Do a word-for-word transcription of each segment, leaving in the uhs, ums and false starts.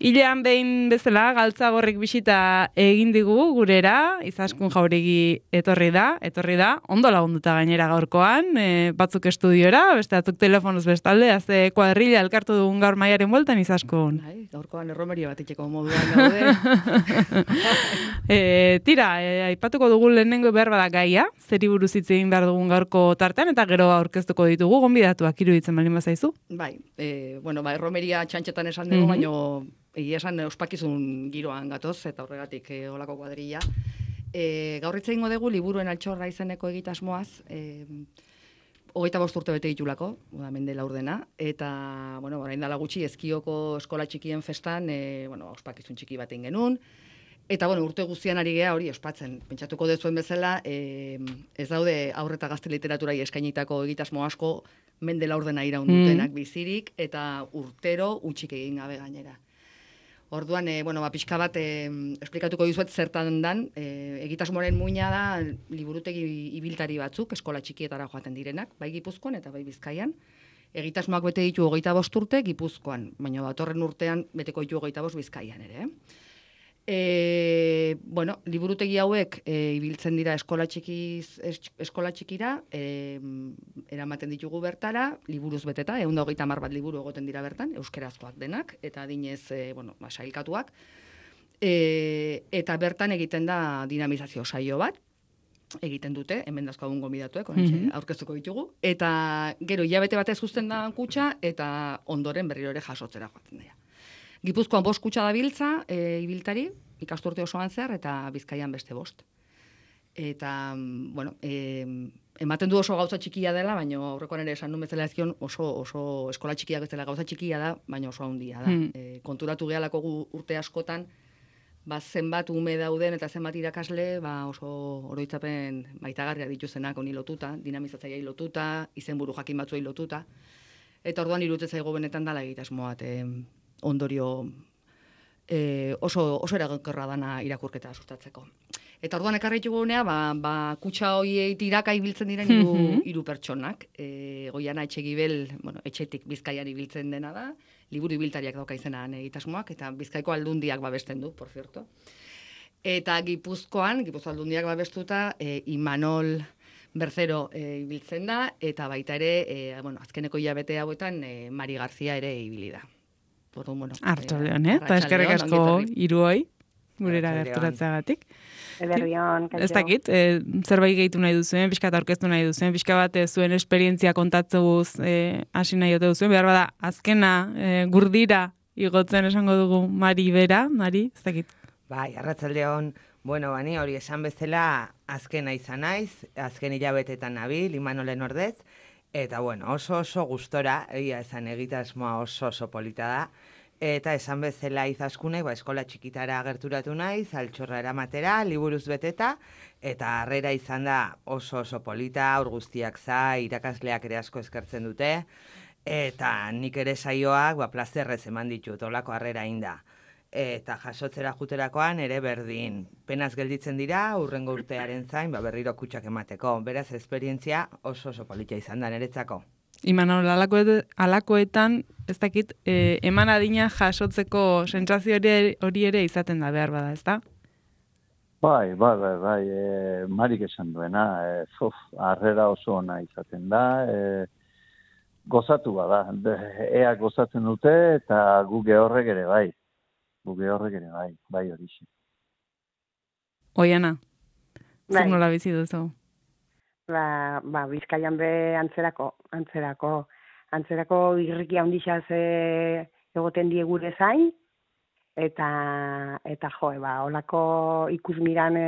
Hilean behin bezala, Galtzagorrik bisita egin digu gurera, Izaskun Jauregi etorri da, etorri da, ondo lagunduta gainera gaurkoan, e, batzuk estudiora, beste batzuk telefonoz bestalde, azte kuadrilla elkartu dugun gaur maiaren bueltan Izaskun. Bai, gaurkoan erromeria bat itxeko moduan daude. e, tira, e, aipatuko dugu lehenengo behar bada gaia, zeri buruz hitz egin behar dugun gaurko tartean, eta gero aurkeztuko ditugu, gonbidatuak iruditzen baldin bazaizu. Bai, e, bueno, ba, erromeria txantxetan esan dugu, mm-hmm. baino egia esan ospakizun giroan gatoz, eta horregatik e, olako kuadrilla. E, gaur hitz egingo dugu liburuen altxorra izeneko egitasmoaz, e, hogeita bost urte bete ditulako, mende laurdena, eta, bueno, orain dela gutxi, Ezkioko eskola txikien festan, e, bueno, ospakizun txiki bat egin genuen, eta, bueno, urte guztian ari gea hori ospatzen. Pentsatuko dezuen bezala, e, ez daude aurre eta gazte literaturai eskainitako egitasmo asko, mende laurdena iraundutenak mm. bizirik, eta urtero utxik egin gabe gainera. Orduan, e, bueno, ba, pixka bat, e, esplikatuko dizuet zertan dan, e, egitasmoaren muina da liburutegi ibiltari batzuk, eskola txikietara joaten direnak, bai Gipuzkoan eta bai Bizkaian. Egitasmoak bete ditu hogeita bost urte Gipuzkoan, baina datorren urtean beteko ditu hogeita bost Bizkaian ere. E, bueno, liburutegi hauek e, ibiltzen dira eskola, txikiz, es, eskola txikira, e, eramaten ditugu bertara, liburuz beteta, ehun eta hogeita hamar bat liburu egoten dira bertan, euskerazkoak denak, eta adinez, e, bueno, ba, sailkatuak, e, eta bertan egiten da dinamizazio saio bat, egiten dute, hemen dazkagun gonbidatuek, mm-hmm. aurkeztuko ditugu, eta gero hilabete batez uzten da kutxa, eta ondoren berriro ere jasotzera joatzen dira. Gipuzkoan bost kutxa da biltza, e, ibiltari, ikasturte osoan zehar, eta Bizkaian beste bost. Eta, bueno, e, ematen du oso gauza txikia dela, baina aurrekoan ere esan nun bezala ezkion oso, oso eskola txikiak bezala gauza txikia da, baina oso handia da. Mm. E, konturatu gehalako gu urte askotan, ba, zenbat ume dauden eta zenbat irakasle, ba, oso oroitzapen maitagarriak dituzenak honi lotuta, dinamizatzaiai lotuta, izenburu jakin batzuei lotuta. Eta orduan iruditzen zaigu benetan dala egitasmoat, e, ondorio e, oso, oso eragonkorra dana irakurketa sustatzeko. Eta orduan ekarri ditugunea, ba, ba, kutxa horiei tiraka ibiltzen diren hiru mm-hmm. hiru pertsonak. E, Goiana Etxegibel, bueno, etxetik Bizkaian ibiltzen dena da, liburu ibiltariak dauka izenan egitasmoak, eta Bizkaiko aldundiak babesten du, por cierto. Eta Gipuzkoan, Gipuzko aldundiak babestuta, e, Imanol Berzero e, ibiltzen da, eta baita ere, e, bueno, azkeneko hilabete hauetan, e, Mari Garzia ere ibili da. Bueno, Arto leon, eh? Eta eskerrik asko hiruoi gurera gerturatzeagatik. Ederrion, kaixo. Ez dakit, e, zerbait gehitu nahi duzuen, pixka eta aurkeztu nahi duzuen, pixka bat e, zuen esperientzia kontatzeguz e, hasi nahi ote duzuen, behar bada, azkena e, gurdira igotzen esango dugu Mari bera, Mari, ez dakit. Bai, arratsaldeon, bueno, bani hori esan bezala azkena izan naiz, azken hilabetetan nabil, Imanolen ordez, eta bueno, oso oso gustora, egia esan egitasmoa oso oso polita da, eta esan bezala Izaskunek, ba, eskola txikitara gerturatu naiz, altxorra eramatera, liburuz beteta, eta harrera izan da oso oso polita, aur guztiak za, irakasleak ere asko eskertzen dute, eta nik ere saioak, ba, plazerrez eman ditut, olako harrera inda. Eta jasotzera juterakoan ere berdin. Penaz gelditzen dira, urrengo urtearen zain, ba, berriro kutxak emateko. Beraz, esperientzia oso oso polita izan da niretzako. Imanol, alakoet, alakoetan, ez dakit, e, eman adina jasotzeko sentsazio hori, hori ere izaten da behar bada, ez da? Bai, bai, bai, bai, e, Marik esan duena, e, fof, harrera oso ona izaten da, e, gozatu bada, ea gozatzen dute eta guge horrek ere bai. Guge horrek ere bai, bai hori xe. Oiana, bai. Zer nola bizi duzu? Ba, ba, Bizkaian be antzerako, antzerako, antzerako irriki handixaz e, egoten die gure zain, eta, eta jo, ba, olako ikusmiran e,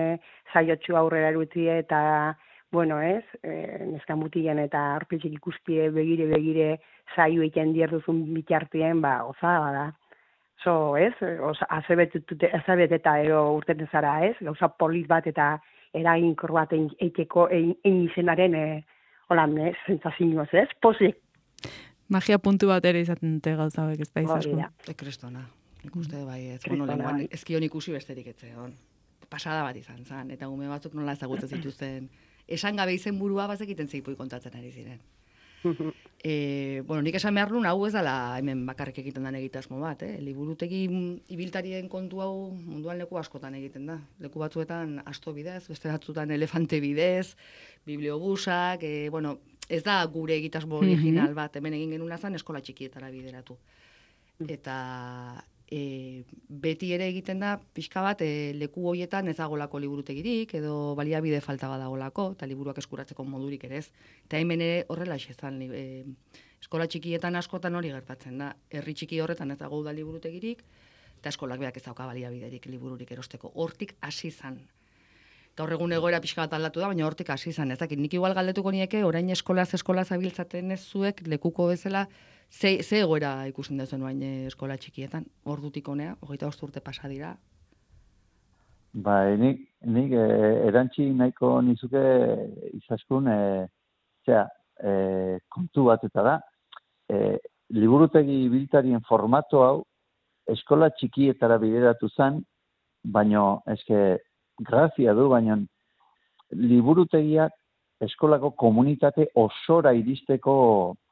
saiotxu aurrera erutie, eta, bueno, ez, e, neska mutilen eta arpetxek ikustie begire-begire saio egiten dierduzun bitartien, ba, oza, bada. So, ez, azabeteta ero urteten zara, ez, gauza polit bat eta eraginkor bat eiteko egin izenaren, e, holan, ez, zentzazioz, ez, pozik. Magia puntu bat ere izaten dute gauza hauek, ez da Izaskun. E kristona, ikuste bai, ez, bueno, lenguan, ezkion ikusi besterik etzeon. Pasada bat izan zan, eta gume batzuk nola ezagutzen zituzten. Esan gabe izen burua bazekiten zeipui kontatzen ari ziren. E, bueno, nik esan behar nuen, hau ez dela hemen bakarrik egiten den egitasmo bat, eh? Liburutegi ibiltarien kontu hau munduan leku askotan egiten da. Leku batzuetan asto bidez, beste batzuetan elefante bidez, bibliobusak, e, bueno, ez da gure egitasmo original bat, hemen egin genuen zen eskola txikietara bideratu. Eta e, beti ere egiten da, pixka bat, e, leku hoietan ez dagolako liburutegirik, edo baliabide falta badagolako, eta liburuak eskuratzeko modurik ere ez. Eta hemen ere horrela izan, e, eskola txikietan askotan hori gertatzen da. Herri txiki horretan ez dago da liburutegirik, eta eskolak beak ez dauka baliabiderik libururik erosteko. Hortik hasi izan. Gaur egun egoera pixka bat aldatu da, baina hortik hasi izan. Ez dakit, nik igual galdetuko nieke, orain eskolaz eskolaz abiltzaten ez zuek, lekuko bezala, ze, ze egoera ikusten duzuen orain eskola txikietan, ordutik honea, hogeita bost urte pasa dira. Bai, nik, nik e, erantzi nahiko nizuke izaskun, e, zera, e, kontu bat eta da, e, liburutegi ibiltarien formato hau eskola txikietara bideratu zen, baino, eske, grazia du, baina liburutegiak eskolako komunitate osora iristeko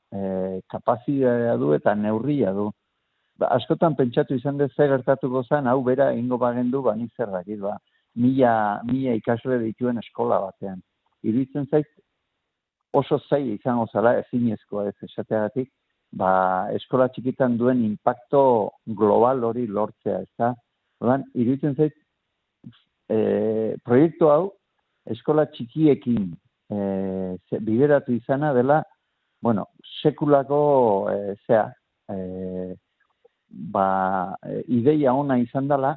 e, kapazitatea du eta neurria du. Ba, askotan pentsatu izan dut ze gertatuko zen, hau bera ingo bagendu, ba, nik zer dakit, ba, mila, mila ikasle dituen eskola batean. Iruditzen zait, oso zaila izango zala ezinezkoa ez esateagatik, ba, eskola txikitan duen impacto global hori lortzea, ez da? Orduan, iruditzen zait, E, proiektu hau eskola txikiekin e, bideratu izana dela, bueno, sekulako e, zea, e, ba, e, ideia ona izan dela,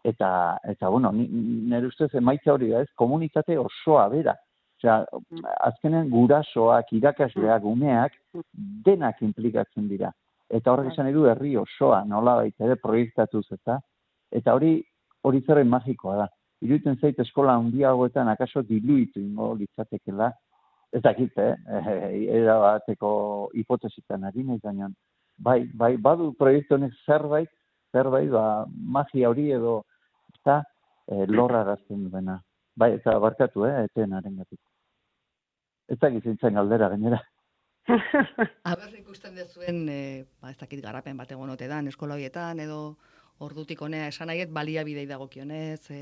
eta, eta bueno, nire ustez emaitza hori da ez, komunitate osoa bera. Osea, azkenen gurasoak, irakasleak, umeak, denak implikatzen dira. Eta horrek esan edu herri osoa, nola baita ere proiektatuz, eta, eta hori hori zerren magikoa da. Iruditzen zait eskola handiagoetan akaso diluitu ingo litzatekela, ez dakit, eh? Era bateko hipotesitan ari nahi gainean. Bai, bai, badu proiektu honek zerbait, zerbait, ba, magia hori edo, eta e, lorrarazten duena. Bai, eta barkatu, eh, etenaren gatik. Ez dakit zintzen galdera, gainera. Aber ikusten dezuen, e, ba, ez dakit garapen bat egon ote dan, eskola horietan, edo ordutik honea esan nahiet, baliabidei dagokionez, e,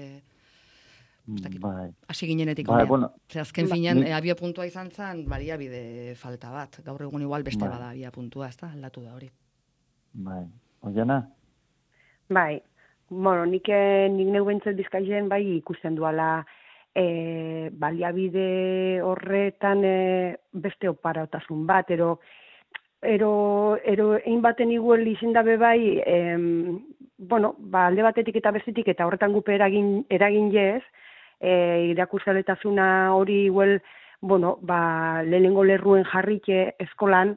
bai. Hasi ginenetik bai, honea. Bueno, Zer, azken finean, ni... abia puntua izan zen, baliabide falta bat. Gaur egun igual beste bai. Bada abia puntua, ez da, aldatu da hori. Bai, Oiana? Bai, bueno, nik, nik neu bentzat Bizkaian bai ikusten duala e, baliabide horretan e, beste oparautasun bat, ero, ero, ero egin baten iguel izin dabe bai, em, bueno, ba, alde batetik eta bestetik eta horretan gupe eragin, eragin jez, e, irakuskaletasuna hori igual, bueno, ba, lehenengo lerruen jarrike eskolan,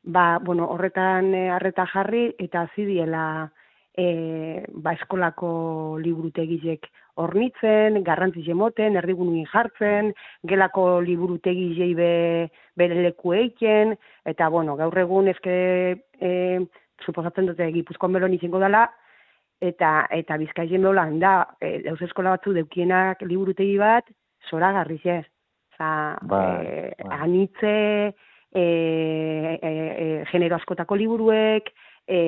ba, bueno, horretan harreta jarri eta zidiela e, ba, eskolako liburutegizek hornitzen, garrantzi jemoten, erdigunuin jartzen, gelako liburutegizei be, bere leku eiken, eta, bueno, gaur egun ezke, e, suposatzen dute Gipuzkoan belon izango dela, eta eta Bizkaien beholan da, e, dauz eskola batzu deukienak liburutegi bat, zoragarri ez. Oza, ba, e, ba. anitze, e, e, e, genero askotako liburuek, e,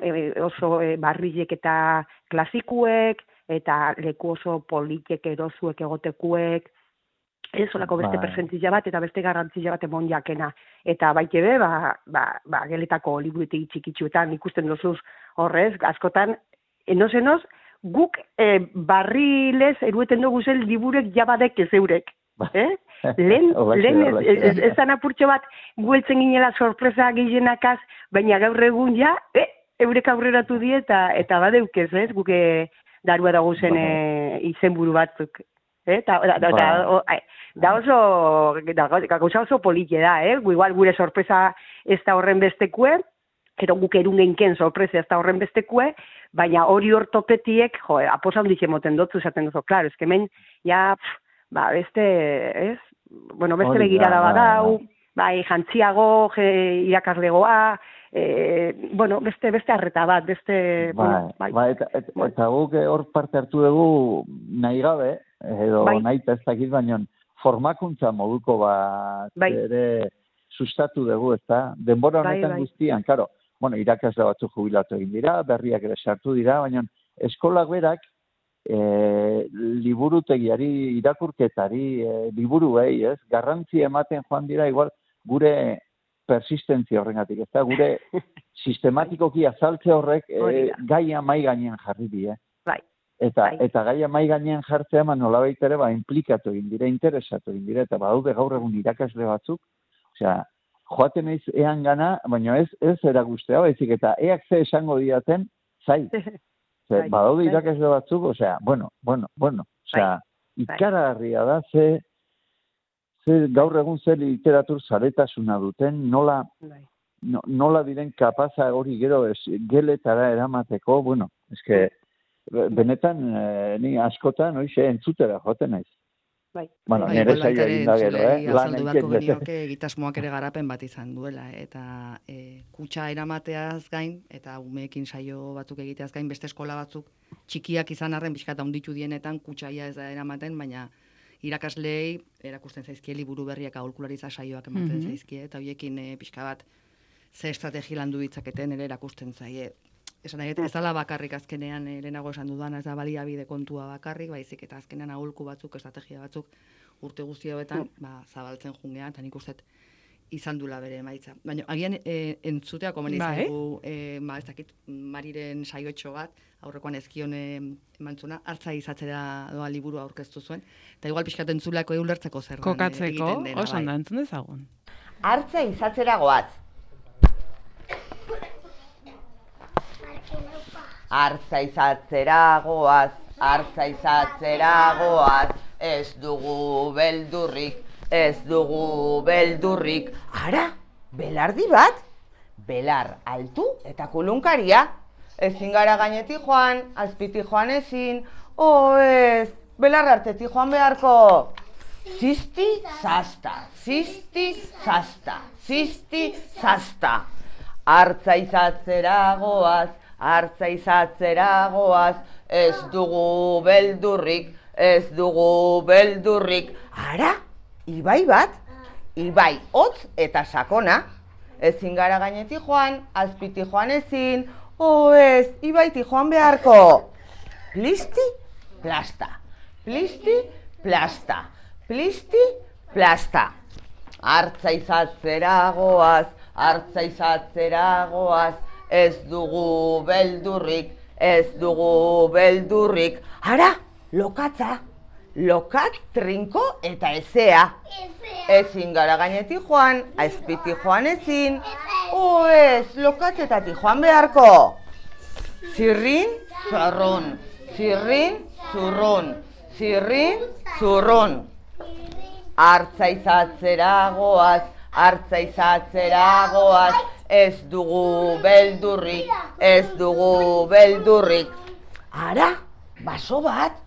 e, oso e, barrizek eta klasikuek, eta leku oso politek erozuek egotekuek, ez olako beste ba. presentzia bat eta beste garrantzia bat emon jakena. Eta baite be, ba, ba, ba, geletako liburutegi txikitsuetan ikusten dozuz horrez, askotan, enoz-enoz, guk e, barrilez erueten dugu zen liburek jabadek ez eurek. Eh? Lehen, lehen ez, ez, ez, ez apurtxo bat gueltzen ginela sorpresa gehienak baina gaur egun ja, eh, eurek aurreratu die eta, eta badeukez, ez, guke darua dago zen e, izenburu batzuk. Eh? Da, da, da, da, o, da oso, da, gauza oso politia da, eh? Igual gure sorpresa ez da horren bestekue, ero guk erungenken sorpresa ez da horren bestekue, baina hori hortopetiek, jo, aposa hondik emoten dotzu esaten duzu, klaro, ezkemen, ja, pff, ba, beste, ez? Bueno, beste begirada badau, bai, jantziago, irakaslegoa, e, bueno, beste, beste arreta bat, beste... Bai, bueno, bai. Ba, eta, et, eta guk hor parte hartu dugu nahi gabe, edo bai. Nahi ez dakit, baina formakuntza moduko bat, bai. Ere, sustatu dugu, ez da? Denbora Bai, honetan bai. guztian, karo, bueno, irakasle batzuk jubilatu egin dira, berriak ere sartu dira, baina eskolak berak e, liburutegiari, irakurketari, e, liburuei, ez? Garrantzi ematen joan dira, igual, gure persistentzia horrengatik, ez da? Gure sistematikoki azaltze horrek e, gaia mai gainean jarri die. Bai. Eta, Bai. eta gaia mai gainean jartzea, man nolabait ere, ba, implikatu egin dira, interesatu egin dira, eta badaude gaur egun irakasle batzuk, osea, joaten naiz ean gana, baina ez, ez eragustea, baizik, eta eak ze esango diaten, zai. Ze, Bai, badaude bai. irakasle batzuk, osea, bueno, bueno, bueno, osea, Bai. ikaragarria da, ze, ze gaur egun ze literatur zaretasuna duten, nola, Bai. no, nola diren kapaza hori gero ez, geletara eramateko, bueno, eske, benetan, eh, ni askotan, oixe, entzutera joten naiz. Bai. Bueno, Bai, nire igual baita saioa ere egin da gero, entzuleari eh? Lan azaldu beharko egiten bete. genioke egitasmoak ere garapen bat izan duela, eta e, kutxa eramateaz gain, eta umeekin saio batzuk egiteaz gain, beste eskola batzuk txikiak izan arren, pixkat handitu dienetan, kutxaia ez da eramaten, baina irakaslei erakusten zaizkie liburu berriak aholkularitza saioak ematen Mhm. zaizkie, eta hoiekin e, pixka bat ze estrategi landu ditzaketen ere erakusten zaie. Esan nahi, ez dala bakarrik azkenean, eh, lehenago esan dudan, ez da baliabide kontua bakarrik, baizik eta azkenean aholku batzuk, estrategia batzuk, urte guzti hauetan, ba, zabaltzen jungean, eta nik uste izan dula bere emaitza. Baina, agian e, entzutea komeni Bai. zaigu, e, ba, ez dakit, Mariren saiotxo bat, aurrekoan ezkion e, emantzuna, hartza izatzera doa liburu aurkeztu zuen, eta igual pixkat entzulako eulertzeko zer den, e, Kokatzeko, egiten dena, oso ondo bai. entzun dezagun. Hartza izatzera goaz. Hartza izatzera goaz, hartza izatzera goaz, ez dugu beldurrik, ez dugu beldurrik. Ara, belardi bat, belar altu eta kulunkaria. Ezin gara gainetik joan, azpiti joan ezin, o ez, belar artetik joan beharko. Zizti, zasta, zizti, zasta, zizti, zasta. Hartza izatzera goaz, hartza izatzera goaz, ez dugu beldurrik, ez dugu beldurrik. Ara, ibai bat, ibai hotz eta sakona. Ezin gara gainetik joan, azpiti joan ezin, o ez, ibaiti joan beharko. Plisti, plasta, plisti, plasta, plisti, plasta. Hartza izatzera goaz, hartza izatzera goaz, ez dugu beldurrik, ez dugu beldurrik. Ara, lokatza, lokat, trinko eta ezea. Ezin gara gainetik joan, azpiti joan ezin, o ez, lokatzetatik joan beharko. Zirrin, zorrun, zirrin, zurrun, zirrin, zurrun. Hartza izatzera goaz, hartza izatzera goaz, ez dugu beldurrik, ez dugu beldurrik. Ara, baso bat,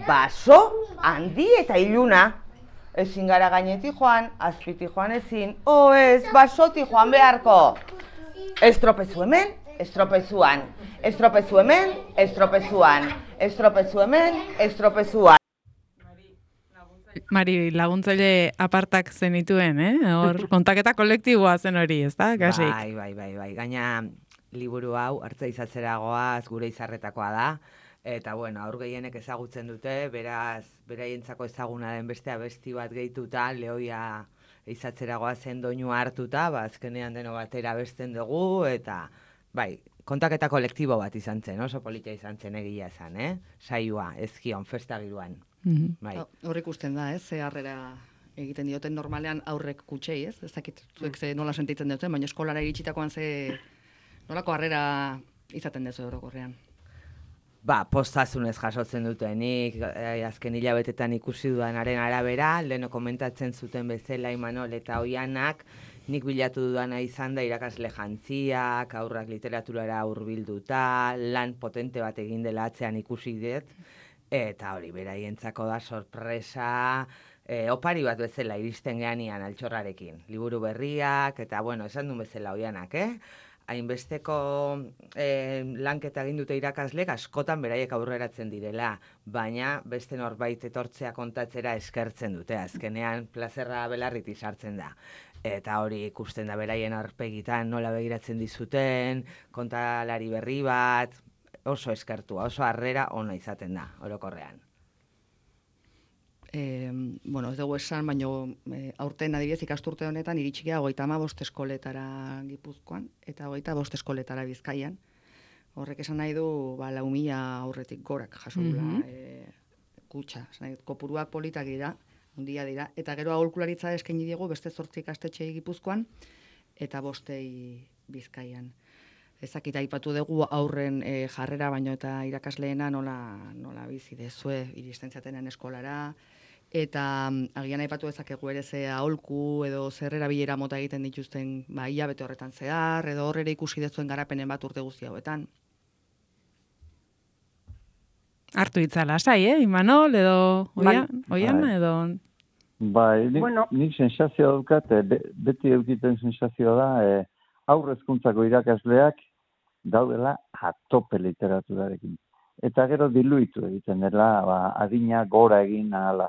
baso handi eta iluna. Ezin gara gainetik joan, azpiti joan ezin, o ez, basoti joan beharko. Estropezu hemen, estropezuan, estropezu hemen, estropezuan, estropezu hemen, estropezuan. Mari, laguntzaile apartak zenituen, eh? Hor, kontaketa kolektiboa zen hori, ez da, kasik? Bai, bai, bai, bai. Gaina liburu hau, hartza izatzera goaz, gure izarretakoa da. Eta, bueno, aur gehienek ezagutzen dute, beraz, beraientzako ezaguna den beste abesti bat gehituta, lehoia izatzera goazen doinua hartuta, ba, azkenean deno batera abesten dugu, eta, bai, kontaketa kolektibo bat izan zen, oso polita izan zen egia esan, eh? Saioa, ezkion, festagiruan. Mhm. Bai. Hor ikusten da, ez, ze harrera egiten dioten normalean aurrek kutsei, ez? Ez dakit zuek ze nola sentitzen duten, baina eskolara iritsitakoan ze nolako harrera izaten dezu orokorrean. Ba, postazunez jasotzen dutenik, eh, azken hilabetetan ikusi dudanaren arabera, leheno komentatzen zuten bezala Imanol eta Oianak, nik bilatu dudana izan da irakasle jantziak, aurrak literaturara hurbilduta, lan potente bat egin dela atzean ikusi dut, eta hori beraientzako da sorpresa, e, opari bat bezala iristen geanian altxorrarekin. Liburu berriak, eta bueno, esan duen bezala Oianak, eh? hainbesteko eh, lanketa egin dute irakaslek askotan beraiek aurreratzen direla, baina beste norbait etortzea kontatzera eskertzen dute, azkenean plazerra belarriti sartzen da. Eta hori ikusten da beraien aurpegitan nola begiratzen dizuten, kontalari berri bat, oso eskertua, oso harrera ona izaten da, orokorrean. E, bueno, ez dugu esan, baina e, aurten adibidez ikasturte honetan iritsikea hogeita hamabost eskoletara Gipuzkoan eta hogeita bost eskoletara Bizkaian. Horrek esan nahi du ba, lau mila aurretik gorak jaso dula mm -hmm. e, kutxa. Esan nahi, kopuruak politak dira, handia dira, eta gero aholkularitza eskaini diegu beste zortzi ikastetxei Gipuzkoan eta bostei Bizkaian. Ezakit aipatu dugu aurren e, jarrera baino eta irakasleena nola, nola bizi dezue iristen zatenen eskolara, eta agian aipatu dezakegu ere ze aholku edo zer erabilera mota egiten dituzten ba, hilabete horretan zehar, edo horrela ikusi dezuen garapenen bat urte guzti hauetan. Hartu hitza lasai, eh, Imanol, edo oian, oian edo... Bai, nik, bueno. nik sensazioa daukat, be, beti eukiten sensazioa da, e, aurrezkuntzako irakasleak daudela atope literaturarekin. Eta gero diluitu egiten dela, ba, adina gora egin ahala.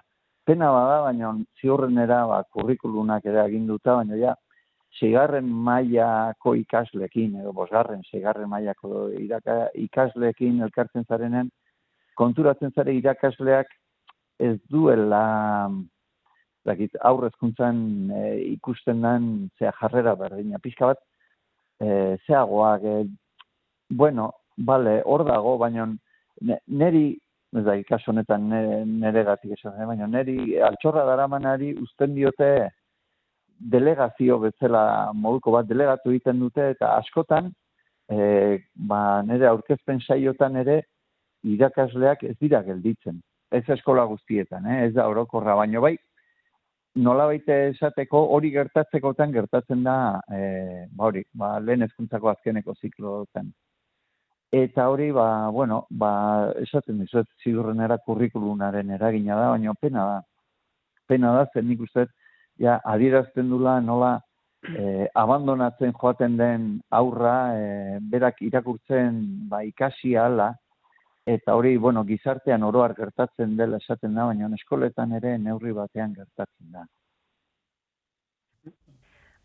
Pena bada, baina ziurrenera ba, kurrikulunak ere aginduta, baina ja, seigarren mailako ikaslekin, edo bosgarren, seigarren mailako iraka, ikasleekin elkartzen zarenen, konturatzen zare irakasleak ez duela, dakit, aurrezkuntzan e, ikusten den zea jarrera berdina. Pixka bat, e, zeagoak, e, bueno, bale, hor dago, baina neri, ez da, kasu honetan nere gatik esan, baina neri altxorra daramanari uzten diote delegazio bezala moduko bat delegatu egiten dute, eta askotan, e, ba, nere aurkezpen saiotan ere, irakasleak ez dira gelditzen. Ez eskola guztietan, eh? Ez da orokorra, baino bai, nolabait esateko hori gertatzekotan gertatzen da, e, ba hori, ba, lehen hezkuntzako azkeneko ziklotan. Eta hori, ba, bueno, ba, esaten dizuet, ziurrenera kurrikulunaren eragina da, baina pena da. Pena da, zen nik uste, ja, adierazten dula nola e, abandonatzen joaten den aurra, e, berak irakurtzen ba, ikasi ahala, eta hori, bueno, gizartean oroar gertatzen dela esaten da, baina eskoletan ere neurri batean gertatzen da.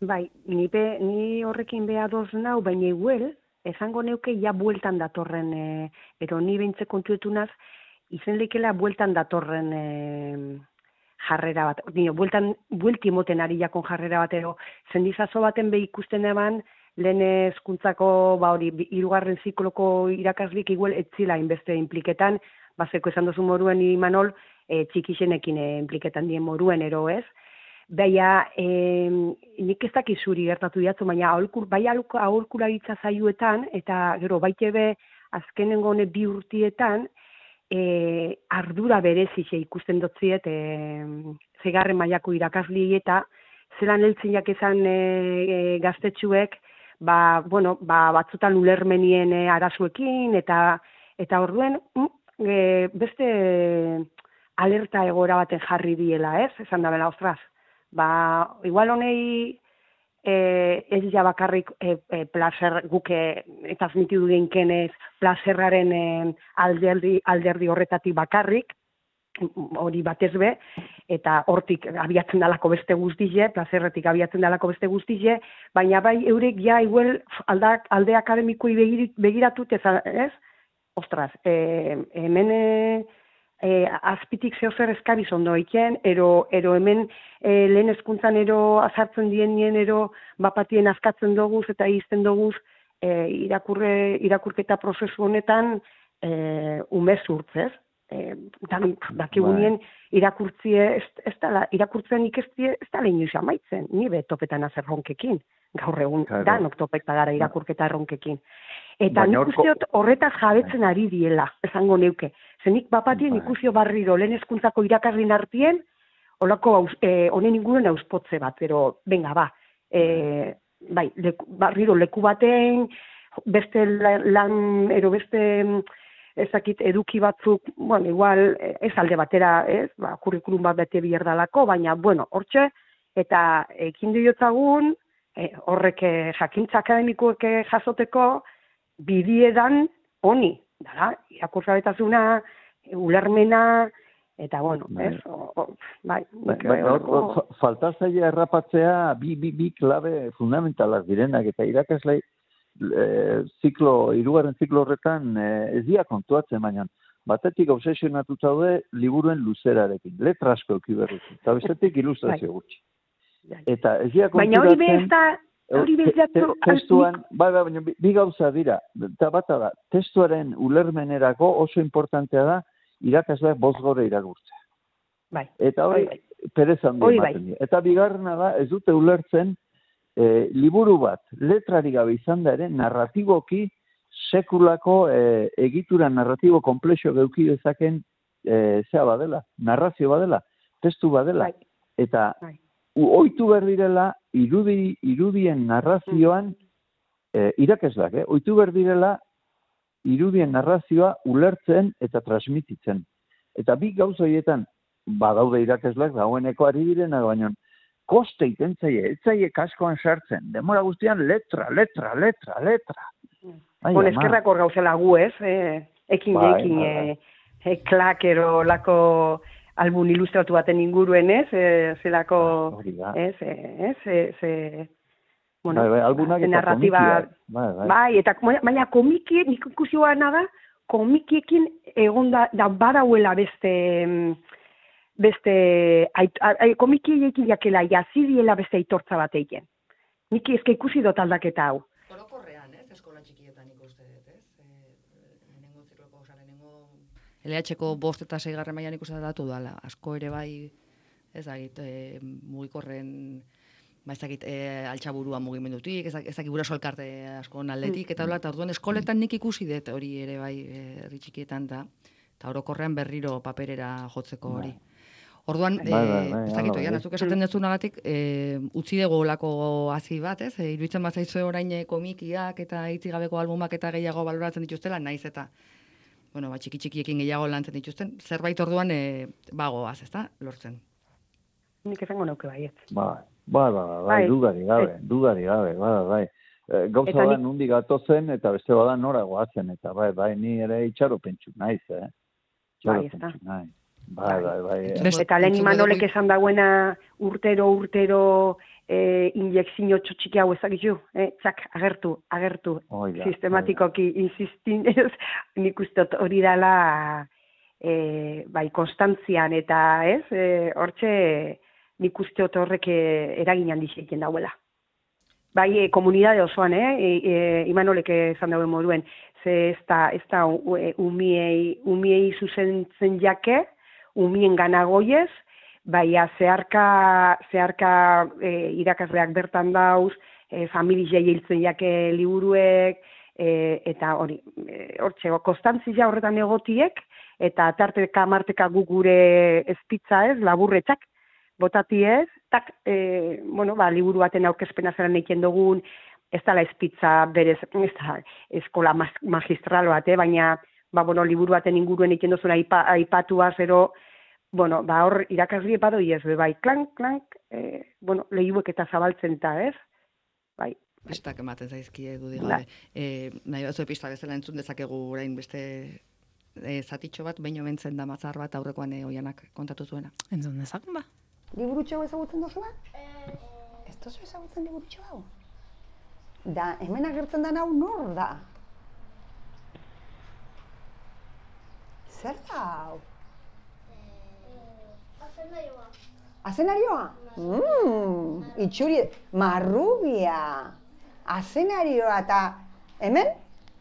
Bai, ni, be, ni horrekin beha doz nau, baina iguel, esango neuke ja bueltan datorren, e, ero ni behintzek kontuetunaz, izen lekela bueltan datorren e, jarrera bat. Nio, bueltan, buelti moten ari jakon jarrera bat, ero zendizazo baten be ikusten eban, lehen hezkuntzako ba hori, hirugarren zikloko irakaslik igual etzila inbeste impliketan, bazeko esan dozu moruen Imanol, e, txikixenekin e, impliketan dien moruen, ero ez. Baina, e, nik ez dakiz zuri gertatu diatzu, baina aholkur, bai aholkularitza zaiuetan, eta gero baite be azkenengo hone bi urtietan, e, ardura berezixe ikusten dotziet, e, zegarren mailako irakasli eta zelan heltzinak ezan e, e, gaztetxuek, ba, bueno, ba, batzutan ulermenien e, arazuekin, eta eta orduen, e, beste alerta egoera baten jarri diela, ez? Esan da bela, ostras, ba, igual honei e, ez ja bakarrik e, e, placer guke eta transmitidu dinkenez plazerraren e, alderdi, alderdi horretatik bakarrik, hori batez be, eta hortik abiatzen dalako beste guztize, plazerretik abiatzen dalako beste guztize, baina bai eurek ja igual alda, alde akademikoi begiratut, ez? Ostras, e, hemen e, e, azpitik zehozer eskabiz ondo eiken, ero, ero hemen e, lehen hezkuntzan ero azartzen dien nien ero bapatien azkatzen doguz eta izten doguz e, irakurre, irakurketa prozesu honetan e, umez urtzez. E, dan, dakigunien irakurtzie ez, ez dala, irakurtzen ikestie ez dala inoiz amaitzen, ni be topetan azer ronkekin, gaur egun, claro. Danok topeta gara irakurketa ronkekin. Eta baina nik usteot horretaz jabetzen ari diela, esango neuke. Zenik bapatien ikusio barriro lehen hezkuntzako irakaslin artien, holako e, honen inguren auspotze bat, pero venga, ba, e, bai, leku, barriro leku baten, beste lan, ero beste ezakit eduki batzuk, bueno, igual ez alde batera, ez, ba, kurrikulum bat bete bierdalako, baina, bueno, hortxe, eta ekin diotzagun, e, horrek eh, jakintza akademikoek eh, jasoteko bidiedan honi, dara, irakurgabetasuna, ulermena, eta bueno, Bai. ez? O, o, bai, Bai, nik, bai, hor- horreko- hor fa- falta zaila errapatzea bi, bi, bi klabe fundamentalak direnak, eta irakaslei e, ziklo, hirugarren ziklo horretan e, ez dira kontuatzen, baina batetik obsesionatuta daude liburuen luzerarekin, letra asko euki berriz, eta bestetik ilustrazio gutxi. Bai. Eta ez dira Baina hori bez konturatzen... da, hori bez te- te- da, testuan, bai, bai, baina bi, bi gauza dira, eta bata da, testuaren ulermenerako oso importantea da irakasleak bost gore irakurtzea. bai, Eta hori, Hori perez handi Hori ematen dira. Eta bigarrena da, ez dute ulertzen, e, liburu bat, letrari gabe izan da ere, narratiboki, sekulako e, egitura narratibo komplexo geuki dezaken e, zea badela, narrazio badela, testu badela. Bai. Eta Bai. u- ohitu behar direla, irudi, irudien narrazioan, e, irakasleak, eh? ohitu behar direla, irudien narrazioa ulertzen eta transmititzen. Eta bi gauza horietan, badaude irakasleak dagoeneko ari direna, baina koste iten zaie, ez zaie kaskoan sartzen, demora guztian letra, letra, letra, letra. Ai, Bon, ama. eskerrak hor gauzela gu, ez? Eh, ekin Bai, ekin bai, bai. eh, eh, klakero lako album ilustratu baten inguruen, ez? Eh, zelako, Hori da. ez? Eh, ez? Eh, ze, bueno, Bai, bai, albunak ze eta narratiba, komikiak. Bai, bai. bai, eta baina komiki, nik ikusi guana da, komikiekin egon da, da badauela beste, mm, beste, ait, ai, komikiekin jakela jazidiela beste aitortza bat egin. Nik ezke ikusi dut aldaketa hau. Orokorrean, ez, eskola txikietan ikuste dut, ez? E, lehenengo zikloko, oza, lehenengo L H-ko bost eta seigarren mailan ikusten datu dala. Asko ere bai, ez dakit, e, mugikorren, ba ez dakit, e, altxaburua mugimendutik, ez dakit, ez dakit guraso elkarte askon aldetik, eta hola, eta orduan eskoletan nik ikusi dut hori ere bai, e, herri txikietan da, eta orokorrean berriro paperera jotzeko hori. Orduan, Bai, bai, bai, ez dakit, hala, oian, bai. azuk esaten dezunagatik, e, utzi dugu olako hazi bat, ez? E, iruditzen bazaizue orain e, komikiak eta hitzik gabeko albumak eta gehiago baloratzen dituztela, naiz eta, bueno, ba, txiki-txikiekin gehiago lantzen dituzten, zerbait orduan e, bagoaz, ez da, lortzen. Nik esango nauke baiet. Bai, bai, bai, bai, Bai. dudari gabe, dudari gabe, bai, bai. E, gauza Eta da nik- nundi gatozen eta beste bada nora goazen, eta bai, bai, ni ere itxaropentsu naiz, eh? Bai, ez da. Itxaropentsu naiz. Bai, bai, bai. eh. Best- Eta lehen entzun Imanolek dugu- esan dagoena urtero, urtero e, injekzio txotxiki hau ezagizu, eh? Txak, agertu, agertu, Hoi da, sistematikoki insistin, ez, nik uste dut hori dela e, bai, konstantzian eta, ez, e, hortxe nik uste dut horrek e, eragin handixeiten dauela. Bai, e, komunidade osoan, eh? E, e, Imanolek esan dauen moduen, ze ez da, ez da e, umiei, umiei zuzentzen jake, umien ganagoiez, baina zeharka, zeharka e, irakasleak bertan dauz, e, familia hiltzen jake liburuek, e, eta hori, e, hortxe, konstantzia horretan egotiek, eta tarteka marteka gu gure ezpitza ez, laburretzak, botati ez, tak, e, bueno, ba, liburu baten aurkezpena zelan egiten dugun, ez dala ezpitza berez, ez da, eskola mas, magistral bat, eh, baina, ba, bueno, liburu baten inguruen egiten duzuna aipa, aipatua zero, bueno, ba, hor irakasli badoi ez, bai, klank, klank, e, bueno, lehiuek eta zabaltzen eta, ez? Bai, Pistak ematen zaizkie dudik Bai. gabe. E, nahi batzu pista bezala entzun dezakegu orain beste e, zatitxo bat, baino bentzen da matzar bat aurrekoan e, oianak kontatu zuena. Entzun dezakun ba. Liburutxo ezagutzen duzu bat? Ez duzu ezagutzen liburutxo hau? Da, hemen agertzen da hau nor da? Zer da hau? Azenarioa. Azenarioa? Mmm, itxuri, marrubia. Azenarioa eta hemen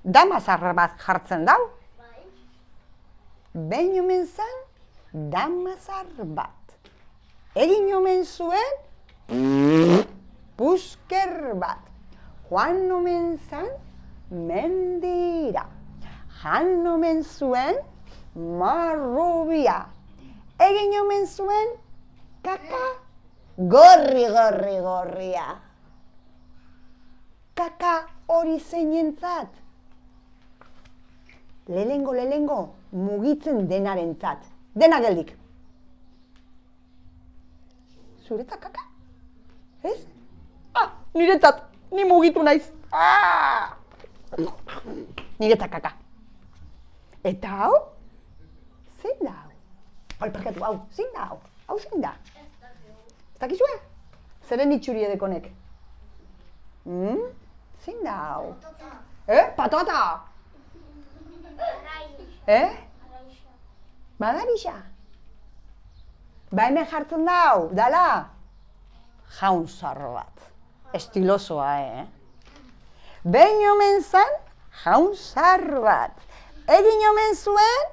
damazar bat jartzen dau. Bai. Behin omen zen, damazar bat. Egin omen zuen, pusker bat. Joan omen zen, mendira. Jan omen zuen, marrubia. Egin omen zuen, kaka, gorri, gorri, gorria. Kaka hori zeinentzat. Lehengo, lehengo, mugitzen denarentzat. Dena geldik. Zuretzat kaka? Ez? Ah, niretzat, ni mugitu naiz. Ah! Niretzat kaka. Eta hau? Zein da hau? Hau, parkatu, hau, zein da hau? Hau zein da? Ez dakizue? Zeren itxuri edekonek? Hmm? Zein da hau? Eh? Patata? Eh? Madarixa? Ba hemen jartzen da hau, dala? Jaun zarro bat. Estilosoa, eh? Behin omen zan, jaun zarro bat. Egin omen zuen?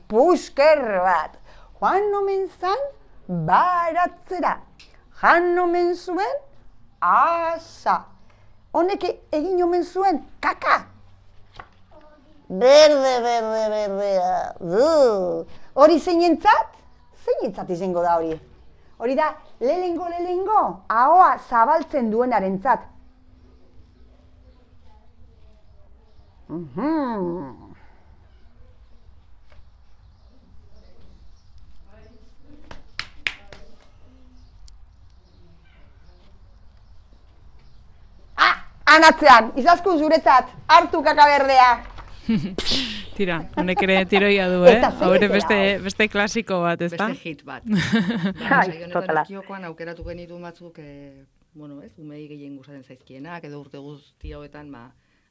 Pusker bat. Joan omen zan, baratzera. Jan omen zuen, asa. Honek egin omen zuen, kaka. Berde, berde, berdea, du. Hori zeinentzat? Zeinentzat izango da hori. Hori da, lehengo, lehengo, ahoa zabaltzen duenarentzat. Mhm. Ah, anatzean, izaskun zuretzat, hartu kaka berdea. Tira, honek ere tiroia du, eh? Eta zer Hore zera, beste, hau? beste klasiko bat, ez da? Beste hit bat. Bai, Saio honetan totala. ezkiokoan aukeratu genituen batzuk, e, bueno, ez, umei gehien gustatzen zaizkienak, edo urte guzti hauetan, ba,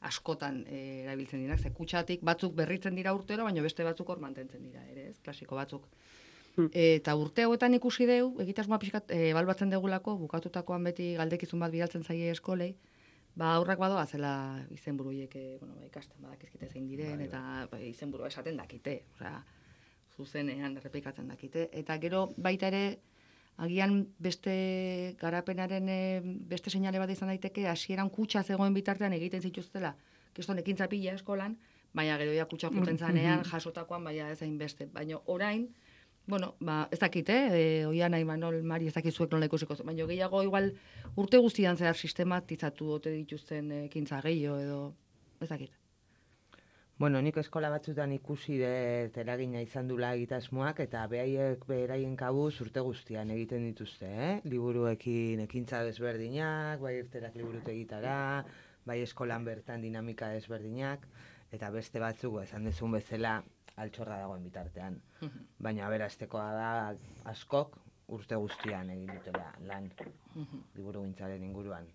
askotan e, erabiltzen dirak, ze kutxatik batzuk berritzen dira urtero, baina beste batzuk hor mantentzen dira, ere, ez, klasiko batzuk. Hmm. Eta urte hauetan ikusi deu, egitasmoa pixkat e, ebalbatzen degulako, bukatutakoan beti galdekizun bat bidaltzen zaie eskolei, ba, aurrak badoa zela izenburu horiek, e, bueno, ba, ikasten badakizkite zein diren, eta ba, izenburua esaten dakite, osea, zuzenean errepikatzen dakite. Eta gero baita ere, agian beste garapenaren e, beste seinale bat izan daiteke, hasieran kutxa zegoen bitartean egiten zituztela, kiston ekintza pila eskolan, baina gero ja kutxa juten zanean, jasotakoan, baina ez hain beste. Baina orain, bueno, ba, ez dakit, eh? E, Oiana, Imanol, Mari, ez dakizuek nola ikusiko. Baina gehiago igual urte guztian zehar sistematizatu ote dituzten ekintza gehiago edo, ez dakit. Bueno, nik eskola batzutan ikusi dut eragina izan dula egitasmoak, eta behaiek beraien kabuz urte guztian egiten dituzte, eh? Liburuekin ekintza desberdinak, bai irterak liburutegitara, bai eskolan bertan dinamika desberdinak, eta beste batzuk, esan dezun bezala, altxorra dagoen bitartean. Baina aberastekoa da askok urte guztian egin dutela lan liburugintzaren inguruan.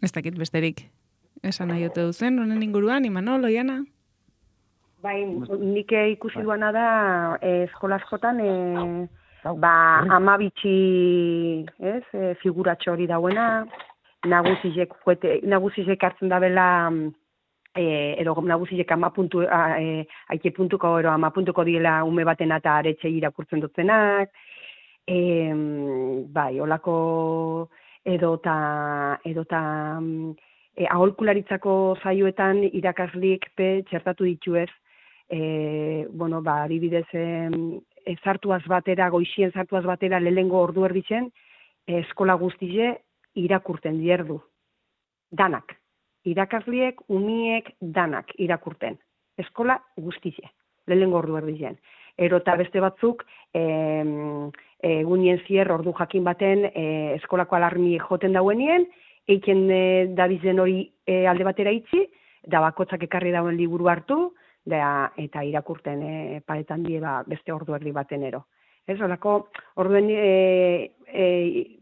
Ez dakit besterik. Esan nahi ote duzen, honen inguruan, Imanol, Oiana? Bai, nik ikusi duana da eh, eskola askotan eh, ba, ama bitxi, ez, eh, figuratxo hori dauena, nagusizek, juete, nagusizek hartzen da bela, eh, edo nagusizek ama puntu, eh, aike puntuko, ero ama puntuko diela ume baten eta aretxe irakurtzen dutzenak, eh, bai, olako edota, edota, E, aholkularitzako zaioetan irakaslik pe txertatu dituez, e, bueno, ba, adibidez, e, zartuaz batera, goixien zartuaz batera, lehengo ordu erditzen, e, eskola guztize irakurten dierdu. Danak. Irakasliek, umiek, danak irakurten. Eskola guztize, lehengo ordu erditzen. Erota beste batzuk, e, egunien zier ordu jakin baten e, eskolako alarmi joten dauenien, eiken e, dabizen hori e, alde batera itzi, da bakotzak ekarri dauen liburu hartu, da, eta irakurten e, paretan die ba, beste ordu erdi baten ero. Ez, horako, orduen, e, e,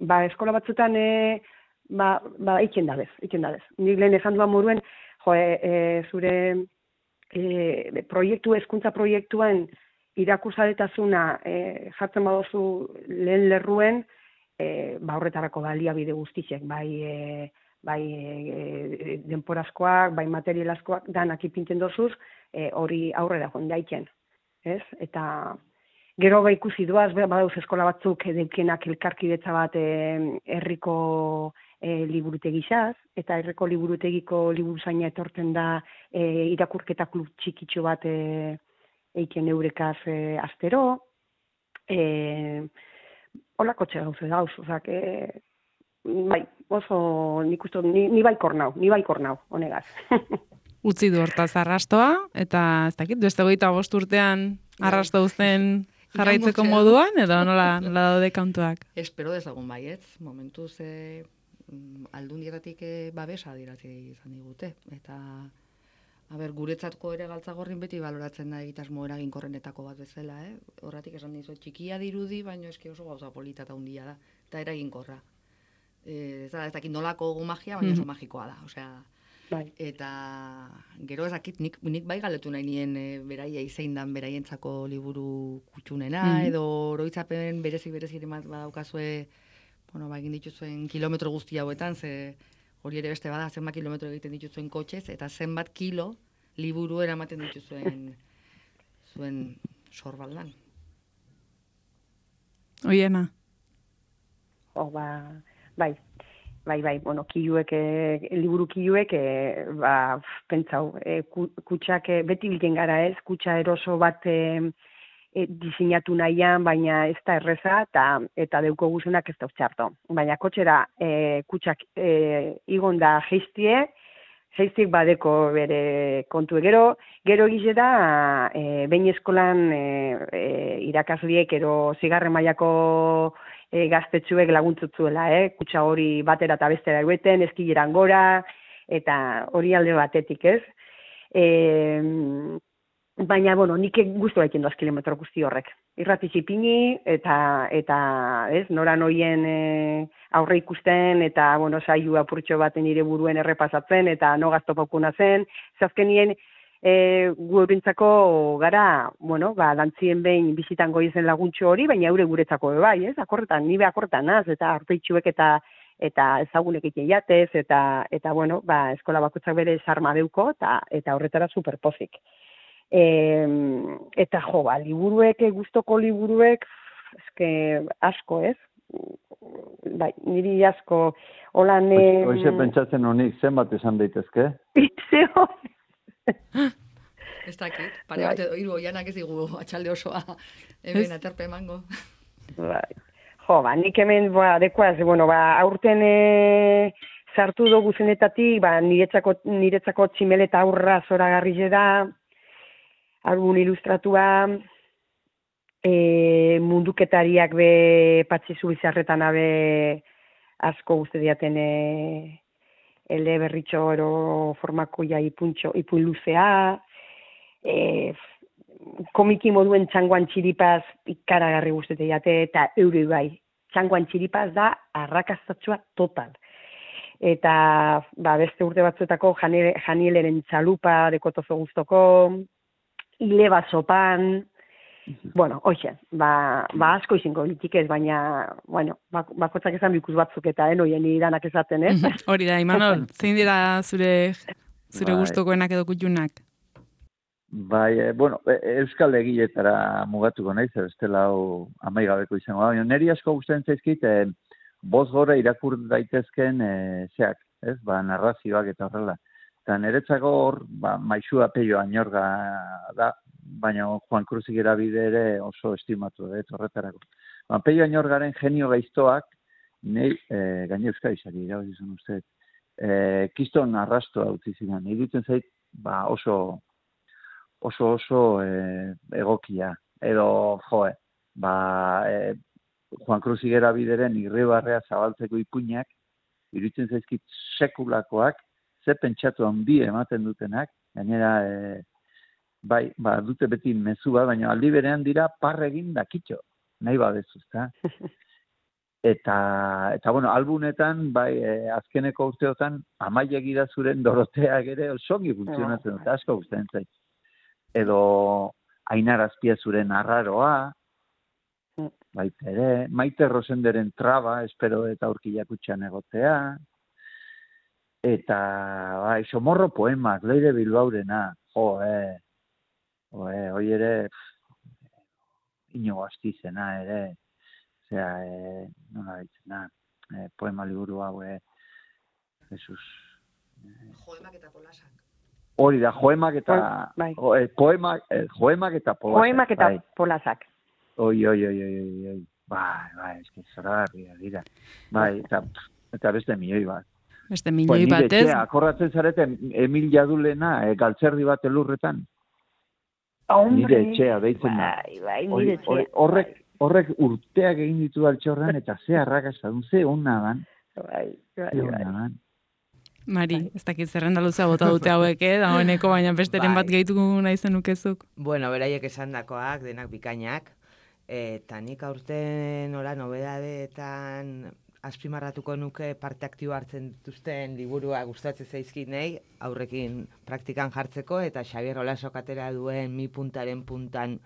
ba, eskola batzutan, e, ba, ba, eiken dabez, eiken dabez. Nik lehen esan duan moruen, jo, e, e, zure e, proiektu, hezkuntza proiektuan irakurzadetasuna e, jartzen badozu lehen lerruen, E, ba, horretarako baliabide guztiek, bai, e, bai e, denporazkoak, bai materialazkoak, danak ipintzen dozuz, e, hori aurrera joan daiken. Ez? Eta gero ba ikusi duaz, badauz eskola batzuk edeukenak elkarkidetza bat e, herriko e, liburutegizaz, eta herriko liburutegiko liburuzaina etortzen da e, irakurketa klub txikitxo bat e, eiken eurekaz e, astero, e, holako txe gauze dauz, ozak, e, bai, oso nik uste, ni, ni baikor nau, ni baikor nau, honegaz. Utzi du hortaz arrastoa, eta ez dakit, beste goita bost urtean arrasto uzten jarraitzeko iraungotzea. moduan, edo nola, nola daude kantuak? Espero dezagun baietz, momentuz e, aldundietatik e, babesa adierazi izan digute. Eta, a ber, guretzatko ere Galtzagorrin beti baloratzen da egitasmo eraginkorrenetako bat bezala, eh? Horratik esan dizu, txikia dirudi, baina eski oso gauza polita eta handia da, eta eraginkorra. E, ez da, ez dakit nolako magia, baina oso magikoa da, osea, Bai. eta gero ezakit nik, nik bai galetu nahi nien e, beraiei zein dan beraientzako liburu kutxunena, Mhm. edo oroitzapen berezi berezi ere badaukazue, bueno, ba, egin dituzuen kilometro guzti hauetan, ze hori ere beste bada, zenbat kilometro egiten dituzuen kotxez, eta zenbat kilo liburu eramaten dituzuen zuen sorbaldan. Oiena. O, ba, bai, bai, bai, bueno, kiluek, e, liburu kiluek, e, ba, pentsau, e, kutsak e, beti bilten gara ez, kutsa eroso bat e, e, diseinatu nahian, baina ez da erreza, eta, eta deuko guzenak ez da txarto. Baina kotxera e, kutsak e, igon da geiztie, geiztik badeko bere kontu gero, gero egize da, e, behin eskolan e, e, irakasliek ero zigarren mailako e, gaztetxuek laguntzutzuela, eh? Kutsa hori batera eta bestera egueten, eskileran gora, eta hori alde batetik, ez? E, baina, bueno, nik guztu baiten doaz kilometro guzti horrek. Irrati zipini, eta, eta ez, nora noien e, aurre ikusten, eta, bueno, saio apurtxo baten nire buruen errepasatzen, eta no gaztopakuna zen, zazkenien, E, gu eurentzako gara, bueno, ba, dantzien behin bizitan goizen laguntxo hori, baina eure guretzako bai, ez? Akorretan, nibe akorretan naz, eta arpeitxuek eta eta ezagunek egiten jatez, eta, eta bueno, ba, eskola bakoitzak bere sarma deuko, eta, eta horretara superpozik. E, eta jo, ba, liburuek, gustoko liburuek, eske asko, ez? Bai, niri asko, holan... Hoize pentsatzen honik, zenbat esan daitezke? Zeo, Ez dakit, pare bat edo hiru oianak ez digu atxalde osoa hemen aterpe emango. Bai. Jo, ba, nik hemen, ba, dekoaz, bueno, ba, aurten e, sartu dugu zenetatik, ba, niretzako, niretzako tximeleta aurra zoragarri da, album ilustratua, e, munduketariak be Patxi Zubizarretan abe asko guzti diaten e, ele berritxo ero formako ja ipuntxo, ipuin luzea, e, komiki moduen txangoan txiripaz ikaragarri guztete jate, eta eure bai, txangoan txiripaz da arrakastatsua total. Eta ba, beste urte batzuetako Janieleren txalupa dekotozo guztoko, hileba sopan, bueno, hoxe, ba, ba asko izingo litik ez, baina, bueno, bakotzak esan bikus batzuk eta enoien iranak esaten, ez? Hori da, Imanol, zein dira zure, zure Bai. gustokoenak edo kutxunak? Bai, e, bueno, e, euskal egiletara mugatuko naiz, bestela hau amaigabeko izango da. Baina niri asko gustatzen zaizkit, e, boz gora irakur daitezken e, zeak, ez? Ba, narrazioak eta horrela. Eta niretzako hor, ba, Maixua Peio Añorga da, baina Juan Kruzik erabide ere oso estimatu da, horretarako. Ba, Peio Añorgaren genio gaiztoak, nahi, e, gaine euskadizari, irabazi zen uste, e, kiston arrastoa utzi ziren. Iruditzen zait, ba, oso oso oso e, egokia, edo joe, ba, e, Juan Kruzik erabideren irribarrea zabaltzeko ipuinak, iruditzen zaizkit sekulakoak, ze pentsatu handi ematen dutenak, gainera, e, bai, ba, dute beti mezu bat, baina aldi berean dira parregin dakitxo, nahi badezu, ezta? Eta, eta bueno, albunetan, bai, e, azkeneko urteotan, Amaia Gidazuren Doroteak ere osongi funtzionatzen dute, asko gustatzen zait. Edo Ainar Azpiazuren Arraroa, baita ere, Maite Rosenderen Traba, espero eta aurkilak utxan egotea, eta, bai, Somorro poemak, Leire Bilbaurena, jo, eh, jo, eh, hoi ere, Inigo Astizena ere, osea, eh, nola ditzena, eh, poema liburu hau, eh, Jesus. Joemak eta polasak. Hori da, joemak eta, bai. jo, eh, poemak, eh, joemak eta polasak. Poemak eta bai. polasak. Oi, oi, oi, oi, oi, oi. Bai, bai, eski zoragarria dira. Bai, eta, eta beste milioi bat. Beste milioi bat ez? Akorratzen zarete Emil Jadulena, e, galtzerdi bat elurretan. Nire etxea deitzen da. Bai, bai, Hori- nire etxea. hori- Horrek, horrek urteak egin ditu altxorran, eta ze arrakasta dun, ze hona dan, Bai, bai, ze bai. hona dan. Mari, ez dakit zerrenda luzea bota dute hauek, eh? Dagoeneko, baina besteren bat Bai. gehitu nahi zenukezuk. Bueno, beraiek esandakoak, denak bikainak, eta nik aurten nola nobedadeetan azpimarratuko nuke parte aktibo hartzen dituzten liburua gustatzen zaizkinei, aurrekin praktikan jartzeko, eta Xabier Olasok atera duen mi puntaren puntan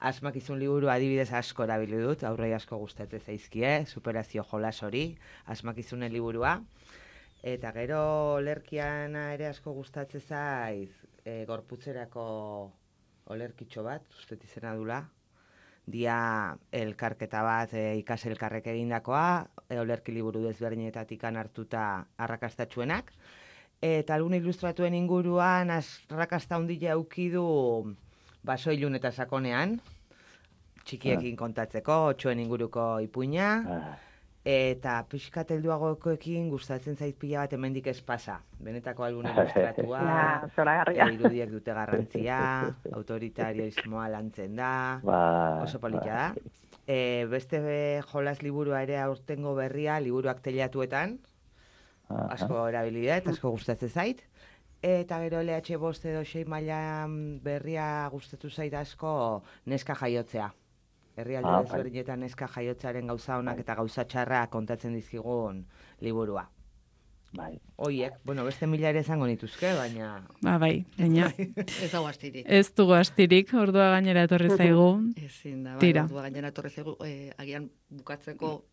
asmakizun liburu adibidez asko erabili dut, aurrei asko gustatzen zaizkie, superazio jolas hori, asmakizunen liburua. Eta gero olerkiana ere asko gustatzen zaiz, e, gorputzerako olerkitxo bat, uste izena dula. Dia elkarketa bat e, ikas elkarrek egindakoa, e, olerki liburu desberdinetatik hartuta arrakastatxuenak. Eta algun ilustratuen inguruan arrakasta handia auki du baso ilun eta sakonean, txikiekin kontatzeko, otxoen inguruko ipuina. Ah, Eta pixkat helduagokoekin gustatzen zait pila bat hemendik ez pasa. Benetako algun ilustratua, Ja, zoragarria. e, irudiak dute garrantzia, autoritarismoa lantzen da, bai, oso polita da. bai. E, beste be, jolas liburua ere aurtengo berria, liburuak teilatuetan, Aha. asko erabili dut, asko gustatzen zait. Eta gero L H bost edo sei maila berria gustatu zait asko neska jaiotzea. Herrialde Ah, bai. desberdinetan neska jaiotzearen gauza honak eta gauza txarra kontatzen dizkigun liburua. Bai. Hoiek, bueno, beste mila ere izango nituzke, baina Ba, bai, baina Ez dago astirik. ez dugu astirik, ordua gainera etorri zaigu. Ezin da, bai, Tira. ordua gainera etorri zaigu, eh, agian bukatzeko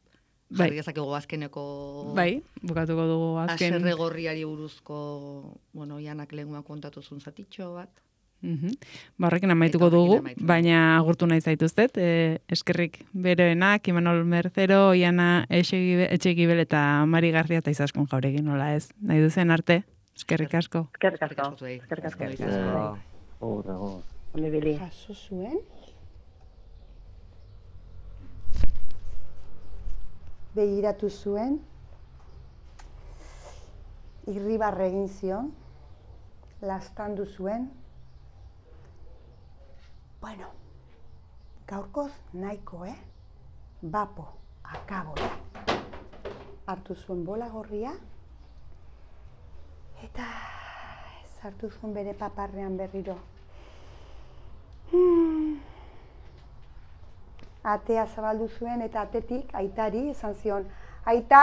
Bai. jarri dezakegu azkeneko Bai, bukatuko dugu azken. haserre gorriari buruzko, bueno, Ianak lehenguan kontatuzun zatitxo bat. Mhm. Ba, horrekin amaituko Eta horrekin dugu, amaituko baina agurtu nahi zaituztet. E, eskerrik beroenak, Imanol Mercero, Iana Etxegibel eta Mari Garria eta Izaskun Jauregin, nola ez. Nahi duzen arte, eskerrik asko. Eskerrik Eskerrik asko. asko zuei. Eskerrik asko. eskerrik Eskerrik asko. asko. Hor, hor. Ondo ibili. Jaso zuen. Begiratu zuen. Irribarre egin zion. Lastandu zuen. Bueno, gaurkoz nahiko, eh? Bapo, akabo. Hartu zuen bola gorria. Eta sartu zuen bere paparrean berriro. Hmm. Atea zabaldu zuen eta atetik aitari esan zion, aita,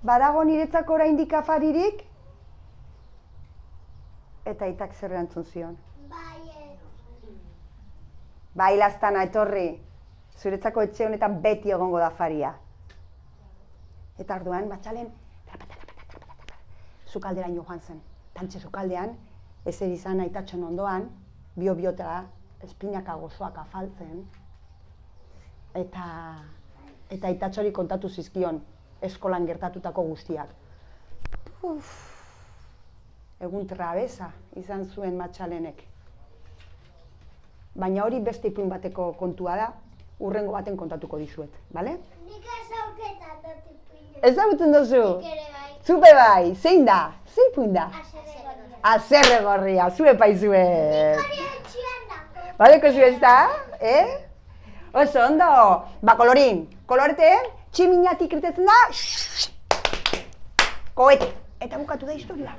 badago niretzako oraindik afaririk? Eta aitak zer erantzun zion. Bai, lastana, etorri. Zuretzako etxe honetan beti egongo da afaria. Eta orduan, matxalen, sukalderaino joan zen. Tantxe sukaldean, ezer izan aitatxon ondoan, bio-biota, espinaka gozoak afaltzen. Eta, eta aitatxori kontatu zizkion, eskolan gertatutako guztiak. Uf, egun trabeza izan zuen matxalenek. Baina hori beste ipuin bateko kontua da, urrengo baten kontatuko dizuet, bale? Nik ezauketan dut ipuina. Ezagutzen duzu? Nik ere bai. Zupe bai, zein da? Zein ipuin da? Haserre gorria. Azerre gorria, zue paizuet. Hori etxian dako. Badeko zu ez da, eh? Oso, ondo. Ba, kolorin, kolorete, tximiñatik irtetzen da, koete. Eta bukatu da historia.